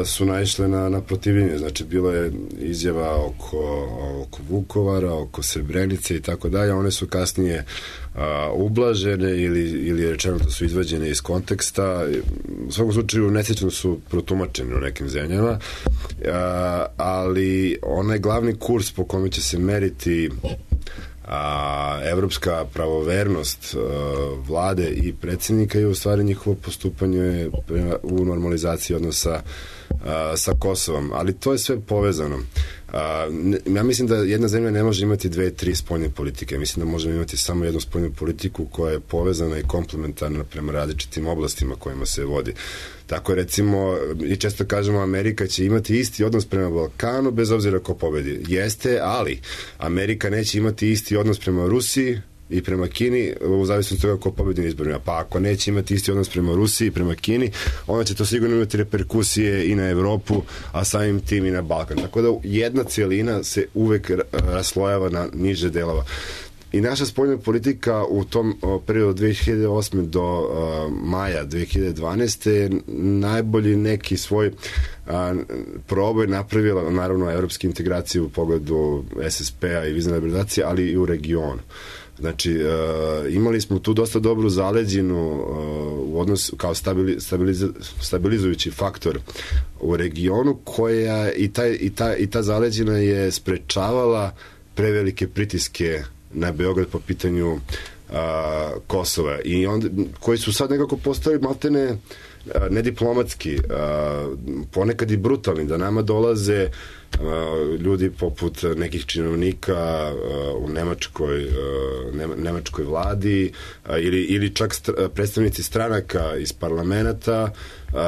su naišle na protivljenje. Znači, bilo je izjava oko Vukovara, oko Srebrenice i tako dalje. One su kasnije ublažene ili rečeno da su izvađene iz konteksta. U svakom slučaju nesrećno su protumačene u nekim zemljama, ali onaj glavni kurs po kome će se meriti a evropska pravovernost vlade i predsjednika je u stvari njihovo postupanje u normalizaciji odnosa sa Kosovom, ali to je sve povezano. Ja mislim da jedna zemlja ne može imati 2-3 spoljne politike. Mislim da možemo imati samo jednu spoljnu politiku koja je povezana i komplementarna prema različitim oblastima kojima se vodi. Tako recimo, i često kažemo, Amerika će imati isti odnos prema Balkanu bez obzira ko pobedi. Jeste, ali Amerika neće imati isti odnos prema Rusiji i prema Kini u zavisnosti od toga ko pobedi na izborima. Pa ako neće imati isti odnos prema Rusiji i prema Kini, onda će to sigurno imati reperkusije i na Evropu, a samim tim i na Balkan. Tako da jedna cijelina se uvek raslojava na niže delova. I naša spoljna politika u tom periodu od 2008. do maja 2012. je najbolji neki svoj proboj napravila, naravno, evropske integracije u pogledu SSP-a i vizne liberalizacije, ali i u regionu. Znači, imali smo tu dosta dobru zaleđinu u odnosu kao stabilizujući faktor u regionu, koja i ta zaleđina je sprečavala prevelike pritiske na Beograd po pitanju Kosova, i onda, koji su sad nekako postali maltene nediplomatski, ponekad i brutalni, da nama dolaze ljudi poput nekih činovnika u nemačkoj vladi ili čak predstavnici stranaka iz parlamenta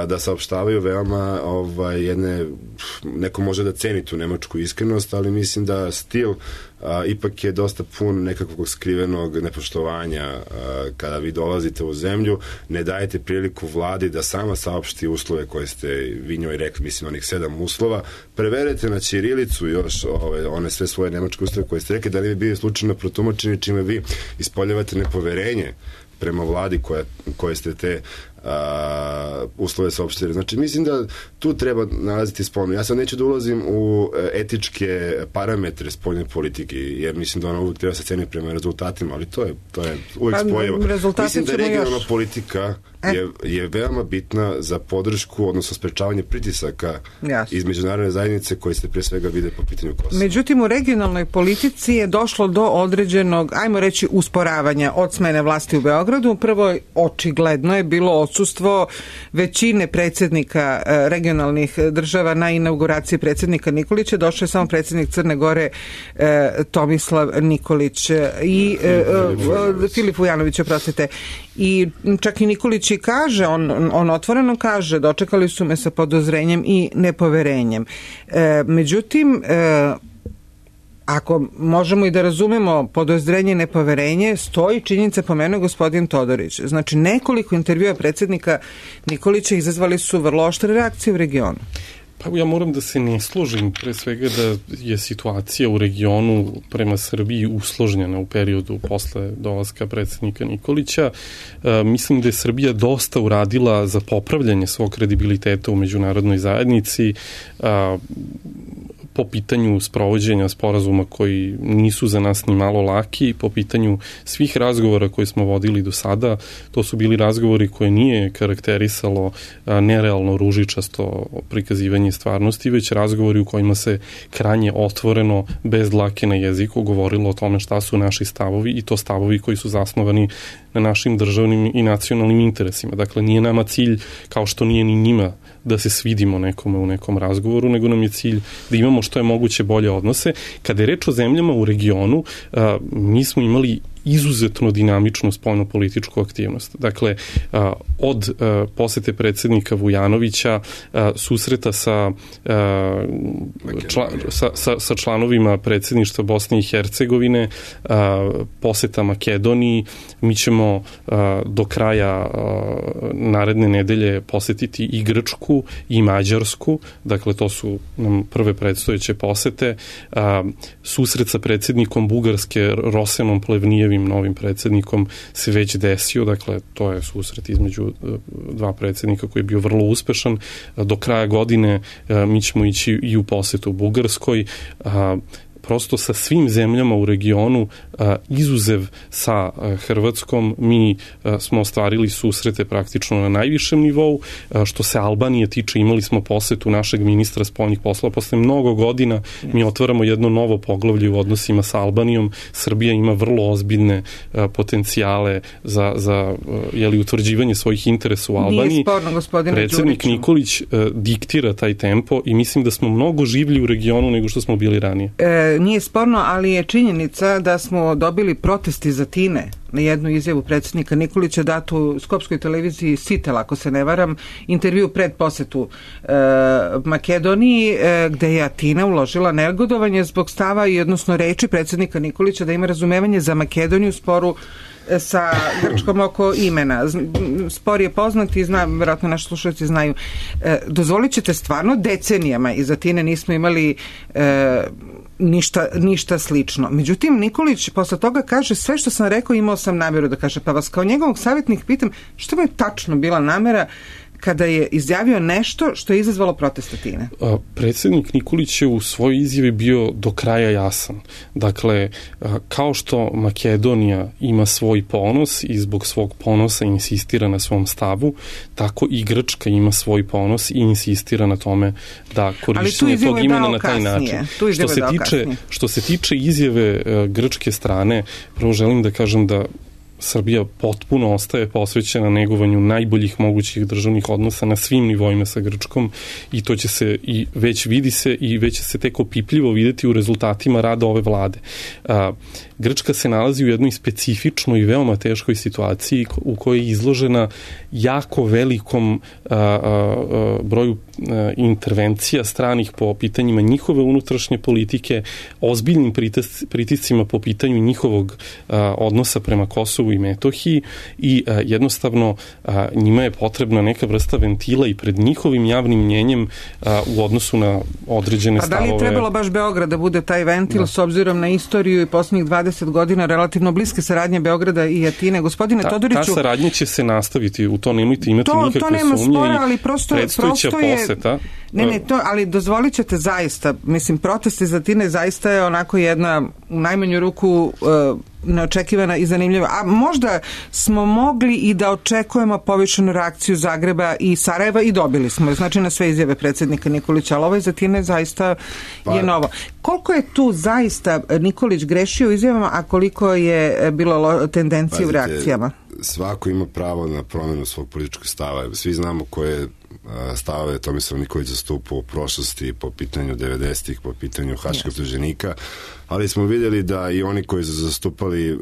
da saopštavaju veoma neko može da ceni tu nemačku iskrenost, ali mislim da stil ipak je dosta pun nekakvog skrivenog nepoštovanja. Kada vi dolazite u zemlju, ne dajete priliku vladi da sama saopšti uslove koje ste vi njoj rekli, mislim onih 7 uslova, preverite na ćirilicu još one sve svoje nemačke uslove koje ste rekli, da li bi bili slučajno protumačeni, čime vi ispoljavate nepoverenje prema vladi koje ste te uslove saopštili. Znači, mislim da tu treba nalaziti spoljno. Ja sad neću da ulazim u etičke parametre spoljne politike, jer mislim da ona uvijek treba se ceni prema rezultatima, ali to je uvijek spojivo. Mislim da regionalna politika je veoma bitna za podršku, odnosno sprečavanje pritisaka iz međunarodne zajednice koji se pre svega vide po pitanju Kosova. Međutim, u regionalnoj politici je došlo do određenog, ajmo reći, usporavanja od smene vlasti u Beogradu. Prvo, očigledno je bilo odsustvo većine predsjednika regionalnih država na inauguraciji predsjednika Nikolića. Došao je samo predsjednik Crne Gore Tomislav Nikolić i Filip Vujanović, oprostite. I čak i Nikolić i kaže, on otvoreno kaže, dočekali su me sa podozrenjem i nepoverenjem. Međutim, ako možemo i da razumemo podozrenje i nepoverenje, stoji činjenica, pomenuo gospodin Todorić. Znači, nekoliko intervjua predsjednika Nikolića izazvali su vrlo oštre reakcije u regionu. Pa ja moram da se ne složim, pre svega da je situacija u regionu prema Srbiji usložnjena u periodu posle dolaska predsjednika Nikolića. Mislim da je Srbija dosta uradila za popravljanje svog kredibiliteta u međunarodnoj zajednici, po pitanju sprovođenja sporazuma koji nisu za nas ni malo laki, po pitanju svih razgovora koje smo vodili do sada. To su bili razgovori koje nije karakterisalo nerealno ružičasto prikazivanje stvarnosti, već razgovori u kojima se krajnje otvoreno, bez dlake na jeziku, govorilo o tome šta su naši stavovi, i to stavovi koji su zasnovani na našim državnim i nacionalnim interesima. Dakle, nije nama cilj, kao što nije ni njima, da se svidimo nekome u nekom razgovoru, nego nam je cilj da imamo što je moguće bolje odnose. Kada je reč o zemljama u regionu, mi smo imali izuzetno dinamičnu spoljno-političku aktivnost. Dakle, od posete predsjednika Vujanovića, susreta sa članovima predsjedništva Bosne i Hercegovine, poseta Makedoniji, mi ćemo do kraja naredne nedelje posetiti i Grčku i Mađarsku, dakle to su nam prve predstojeće posete. Susret sa predsjednikom Bugarske Rosenom Plevnijevim, novim predsjednikom, se već desio, dakle to je susret između dva predsjednika koji je bio vrlo uspešan. Do kraja godine mi ćemo ići i u posetu Bugarskoj. prosto sa svim zemljama u regionu, izuzev sa Hrvatskom, mi smo ostvarili susrete praktično na najvišem nivou. Što se Albanije tiče, imali smo posetu našeg ministra spoljnih poslova. Posle mnogo godina mi otvaramo jedno novo poglavlje u odnosima sa Albanijom. Srbija ima vrlo ozbiljne potencijale za utvrđivanje svojih interesa u Albaniji. Nije sporno, gospodine Đuriću. Predsednik Nikolić diktira taj tempo i mislim da smo mnogo življi u regionu nego što smo bili ranije. Nije sporno, ali je činjenica da smo dobili protest iz Atine na jednu izjavu predsednika Nikolića datu u Skopskoj televiziji Sitel, ako se ne varam, intervju pred posetu Makedoniji, gde je Atina uložila negodovanje zbog stava i odnosno reči predsednika Nikolića da ima razumevanje za Makedoniju sporu sa Grčkom oko imena. Spor je poznat i verovatno naši slušalci znaju. Dozvolit ćete stvarno decenijama iz Atine nismo imali ništa slično. Međutim, Nikolić posle toga kaže sve što sam rekao imao sam nameru da kaže, pa vas kao njegovog savjetnik pitam što mu je tačno bila namera kada je izjavio nešto što je izazvalo protest Atine? Predsednik Nikolić je u svojoj izjavi bio do kraja jasan. Dakle, kao što Makedonija ima svoj ponos i zbog svog ponosa insistira na svom stavu, tako i Grčka ima svoj ponos i insistira na tome da korišćenje tog imena na taj način. Što se tiče izjave grčke strane, prvo želim da kažem da Srbija potpuno ostaje posvećena negovanju najboljih mogućih državnih odnosa na svim nivoima sa Grčkom i to će se i već vidi se i već će se tek opipljivo videti u rezultatima rada ove vlade. Grčka se nalazi u jednoj specifičnoj i veoma teškoj situaciji u kojoj je izložena jako velikom broju intervencija stranih po pitanjima njihove unutrašnje politike, ozbiljnim pritiscima po pitanju njihovog odnosa prema Kosovu i Metohiji i jednostavno njima je potrebna neka vrsta ventila i pred njihovim javnim mnjenjem u odnosu na određene stavove. A da li je trebalo baš Beograd da bude taj ventil s obzirom na istoriju i poslednjih 20 godina relativno bliske saradnje Beograda i Atine? Gospodine Todoriću... Ta saradnja će se nastaviti, u to nemojte imati nikakve sumnje. To nema spora, ali prosto je... Poseta. Ali dozvolit ćete zaista, mislim, protest iz Atine zaista je onako jedna u najmanju ruku neočekivana i zanimljiva. A možda smo mogli i da očekujemo povišenu reakciju Zagreba i Sarajeva i dobili smo. Znači na sve izjave predsednika Nikolića, ali ovo iz Atine zaista je novo. Koliko je tu zaista Nikolić grešio u izjavama, a koliko je bilo tendencije u reakcijama? Svako ima pravo na promenu svog političkog stava. Svi znamo koje stavove Tomislav Nikolić zastupao u prošlosti po pitanju 90-ih, po pitanju haškog optuženika, ali smo vidjeli da i oni koji su zastupali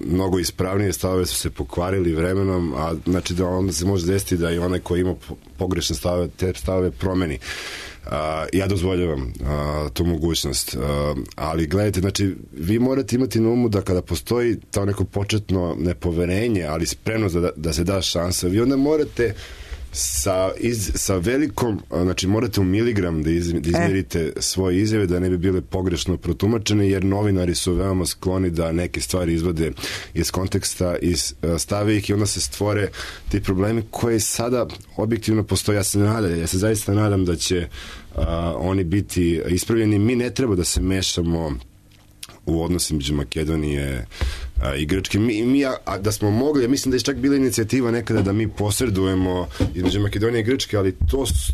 mnogo ispravnije stavove su se pokvarili vremenom, a znači da onda se može desiti da i onaj koji ima pogrešne stavove, te stavove promeni. Ja dozvoljavam tu mogućnost, ali gledajte, znači vi morate imati na umu da kada postoji to neko početno nepoverenje, ali spremnost da se da šansa, vi onda morate sa velikom, znači morate u miligram da izmjerite svoje izjave da ne bi bile pogrešno protumačene, jer novinari su veoma skloni da neke stvari izvode iz konteksta i stave ih i onda se stvore ti problemi koji sada objektivno postoje. Ja se zaista nadam da će oni biti ispravljeni. Mi ne treba da se mešamo u odnosi među Makedonije i Grčke. Da smo mogli, ja mislim da je čak bila inicijativa nekada da mi posredujemo između Makedonije i Grčke, ali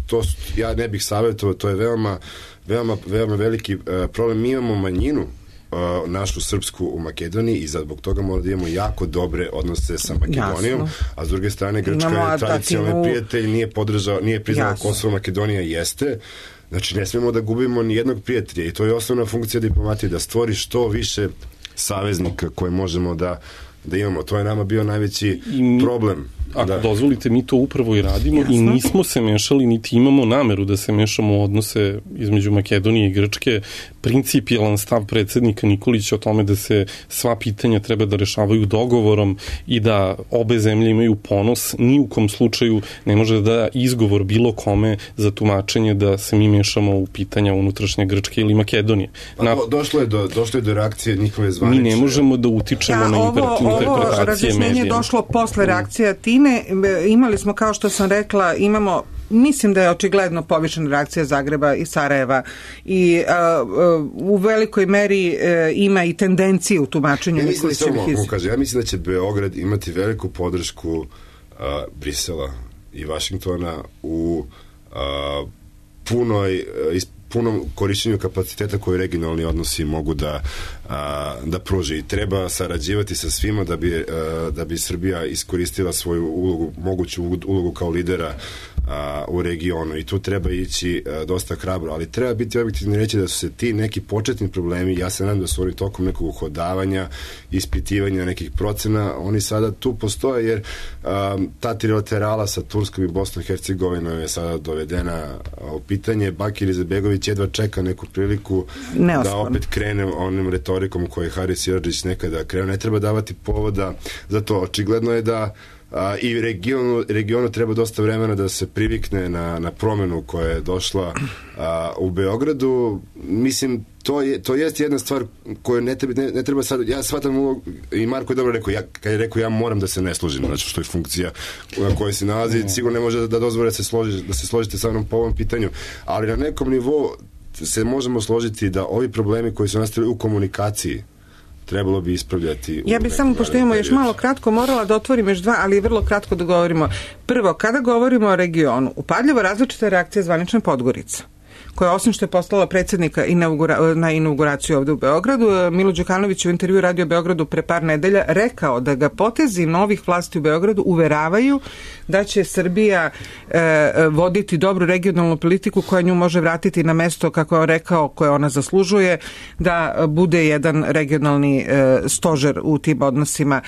to ja ne bih savjetovao, to je veoma veliki problem. Mi imamo manjinu našu srpsku u Makedoniji i zbog toga moramo da imamo jako dobre odnose sa Makedonijom, a s druge strane Grčka je tradicionalni prijatelj, nije priznala Kosovo, Makedonija jeste. Znači, ne smemo da gubimo ni jednog prijatelja i to je osnovna funkcija diplomatije, da stvori što više saveznika koje možemo da imamo. To je nama bio najveći problem. Ako dozvolite, mi to upravo i radimo i nismo se mešali, niti imamo nameru da se mešamo u odnose između Makedonije i Grčke. Principijelan stav predsednika Nikolića o tome da se sva pitanja treba da rešavaju dogovorom i da obe zemlje imaju ponos, ni u kom slučaju ne može da izgovor bilo kome za tumačenje da se mi mešamo u pitanja unutrašnje Grčke ili Makedonije. Došlo je do reakcije njihove zvanične. Mi ne možemo da utičemo na interpretacije razjašnjenje medijima. došlo posle reakcija Tine. Imali smo, kao što sam rekla, mislim da je očigledno povišena reakcija Zagreba i Sarajeva i u velikoj meri ima i tendencije u tumačenju Nikolićevih izjava. Ja mislim da će Beograd imati veliku podršku Brisela i Vašingtona u punom korišćenju kapaciteta koje regionalni odnosi mogu da pruže i treba sarađivati sa svima da bi Srbija iskoristila svoju ulogu, moguću ulogu kao lidera u regionu i tu treba ići dosta hrabro, ali treba biti objektivno reći da su se ti neki početni problemi, ja se nadam da su oni tokom nekog uhodavanja, ispitivanja nekih procena, oni sada tu postoje jer ta trilaterala sa Turskom i Bosnom i Hercegovinom je sada dovedena u pitanje. Bakir Izetbegović jedva čeka neku priliku da opet krene onim retorikom koje je Haris Siradžić nekada krenuo. Ne treba davati povoda za to. Očigledno je da i regionu treba dosta vremena da se privikne na promenu koja je došla u Beogradu. Mislim, to jest jedna stvar koju ne treba sad, ja shvatam ulogu, i Marko je dobro rekao, kad je rekao ja moram da se ne složim, znači što je funkcija na kojoj se nalazi, sigurno ne može da dozvore da se složite sa mnom po ovom pitanju, ali na nekom nivou se možemo složiti da ovi problemi koji su nastali u komunikaciji trebalo bi ispravljati. Ja bih samo, pošto imamo još malo kratko, morala da otvorim još dva, ali vrlo kratko da govorimo. Prvo, kada govorimo o regionu, upadljivo različita reakcija zvanične Podgorice, koja osim što je poslala predsjednika na inauguraciju ovde u Beogradu, Milo Đukanović u intervju Radio Beogradu pre par nedelja rekao da ga potezi novih vlasti u Beogradu uveravaju da će Srbija voditi dobru regionalnu politiku koja nju može vratiti na mesto, kako je on rekao, koje ona zaslužuje, da bude jedan regionalni stožer u tim odnosima.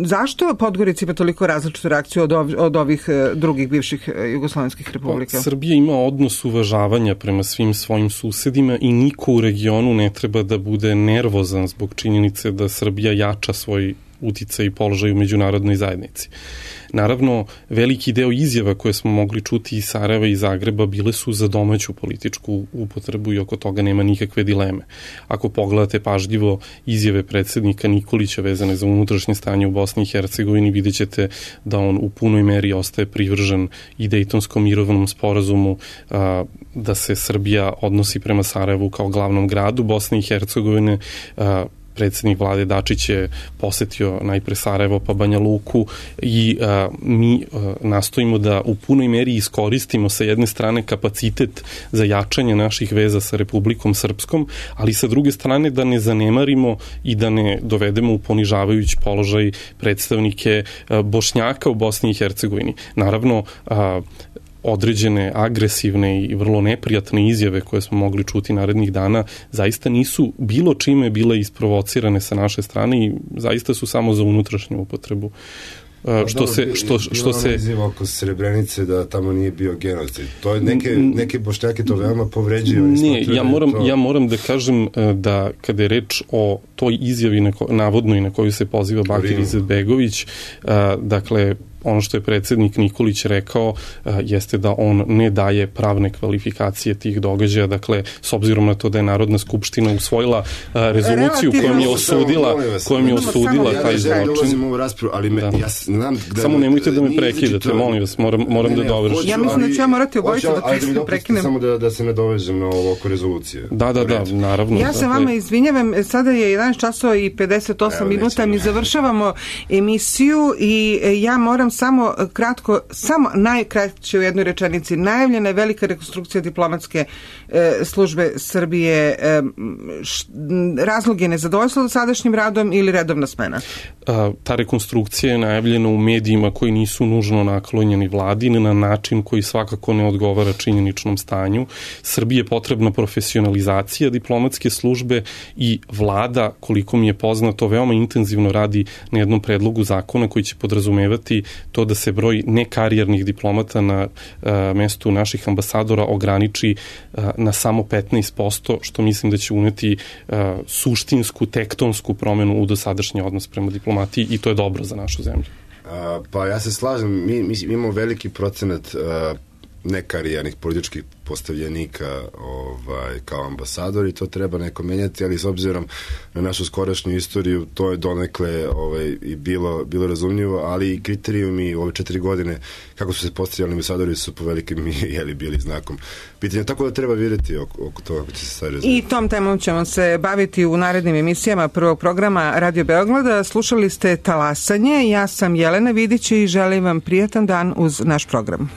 Zašto Podgorica ima toliko različitu reakciju od ovih drugih bivših jugoslovenskih republika? Srbija ima odnos uvažavanja prema svim svojim susedima i niko u regionu ne treba da bude nervozan zbog činjenice da Srbija jača svoj uticaj i položaj u međunarodnoj zajednici. Naravno, veliki deo izjava koje smo mogli čuti iz Sarajeva i Zagreba bile su za domaću političku upotrebu i oko toga nema nikakve dileme. Ako pogledate pažljivo izjave predsjednika Nikolića vezane za unutrašnje stanje u Bosni i Hercegovini, vidjet ćete da on u punoj meri ostaje privržen i Dejtonskom mirovnom sporazumu, da se Srbija odnosi prema Sarajevu kao glavnom gradu Bosne i Hercegovine. Predsjednik vlade Dačić je posetio najpre Sarajevo pa Banja Luku i mi nastojimo da u punoj meri iskoristimo sa jedne strane kapacitet za jačanje naših veza sa Republikom Srpskom, ali sa druge strane da ne zanemarimo i da ne dovedemo u ponižavajući položaj predstavnike Bošnjaka u Bosni i Hercegovini. Naravno, određene agresivne i vrlo neprijatne izjave koje smo mogli čuti narednih dana zaista nisu bilo čime bile isprovocirane sa naše strane i zaista su samo za unutrašnju upotrebu. Što se izjava oko Srebrenice da tamo nije bio genocid. To je neke Bošnjake to veoma povređuju. Ne, ja moram da kažem da kada je reč o toj izjavi navodnoj na koju se poziva Bakir Izetbegović, dakle ono što je predsjednik Nikolić rekao jeste da on ne daje pravne kvalifikacije tih događaja, dakle s obzirom na to da je Narodna skupština usvojila rezoluciju kojom je osudila taj zločin. Ja ulazim u ovu raspravu, ali ja znam da... Samo nemojte da me prekidate, molim vas, moram da dovršim. Ja mislim da ću ja morati obojicu da prekinem. Samo da se nadovežem na ovo oko rezolucije. Da, naravno. Ja se vama izvinjavam, sada je 11 časova i 58 minuta, mi završavamo emisiju i ja moram samo kratko, samo najkraće u jednoj rečenici. Najavljena je velika rekonstrukcija diplomatske službe Srbije. Razlog je nezadovoljstvo sadašnjim radom ili redovna smena? Ta rekonstrukcija je najavljena u medijima koji nisu nužno naklonjeni vladi na način koji svakako ne odgovara činjeničnom stanju. Srbiji je potrebna profesionalizacija diplomatske službe i vlada, koliko mi je poznato, veoma intenzivno radi na jednom predlogu zakona koji će podrazumevati to da se broj nekarijernih diplomata na mestu naših ambasadora ograniči na samo 15%, što mislim da će uneti suštinsku, tektonsku promenu u dosadašnji odnos prema diplomatiji i to je dobro za našu zemlju. Pa ja se slažem, mi imamo veliki procenat nekarijernih političkih postavljenika kao ambasador i to treba neko menjati, ali s obzirom na našu skorašnju istoriju to je donekle i bilo razumljivo, ali i kriterijumi ove 4 godine kako su se postavljali ambasadori su po velikim bili znakom pitanja, tako da treba vidjeti oko toga kako će se stvari razumjeti. I tom temom ćemo se baviti u narednim emisijama prvog programa Radio Beograda. Slušali ste Talasanje, ja sam Jelena Vidić i želim vam prijatan dan uz naš program.